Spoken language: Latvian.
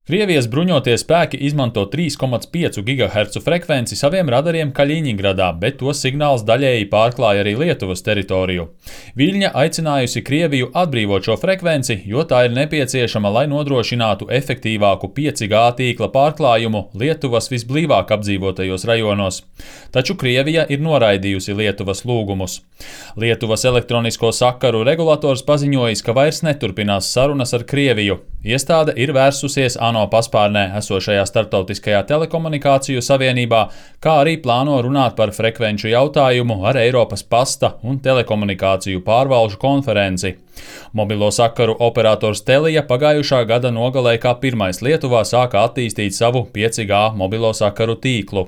Krievijas bruņotie spēki izmanto 3,5 GHz frekvenci saviem radariem Kaļiņingradā, bet to signāls daļēji pārklāja arī Lietuvas teritoriju. Viļņa aicinājusi Krieviju atbrīvot šo frekvenci, jo tā ir nepieciešama, lai nodrošinātu efektīvāku 5G tīkla pārklājumu Lietuvas visblīvāk apdzīvotajos rajonos. Taču Krievija ir noraidījusi Lietuvas lūgumus. Lietuvas elektronisko sakaru regulators paziņojis, ka vairs neturpinās sarunas ar Krieviju. Iestāde ir vērsusies ANO paspārnē esošajā Starptautiskajā telekomunikāciju savienībā, kā arī plāno runāt par frekvenču jautājumu ar Eiropas pasta un telekomunikāciju pārvalžu konferenci. Mobilo sakaru operators Telia pagājušā gada nogalē kā pirmais Lietuvā sāka attīstīt savu 5G mobilo sakaru tīklu.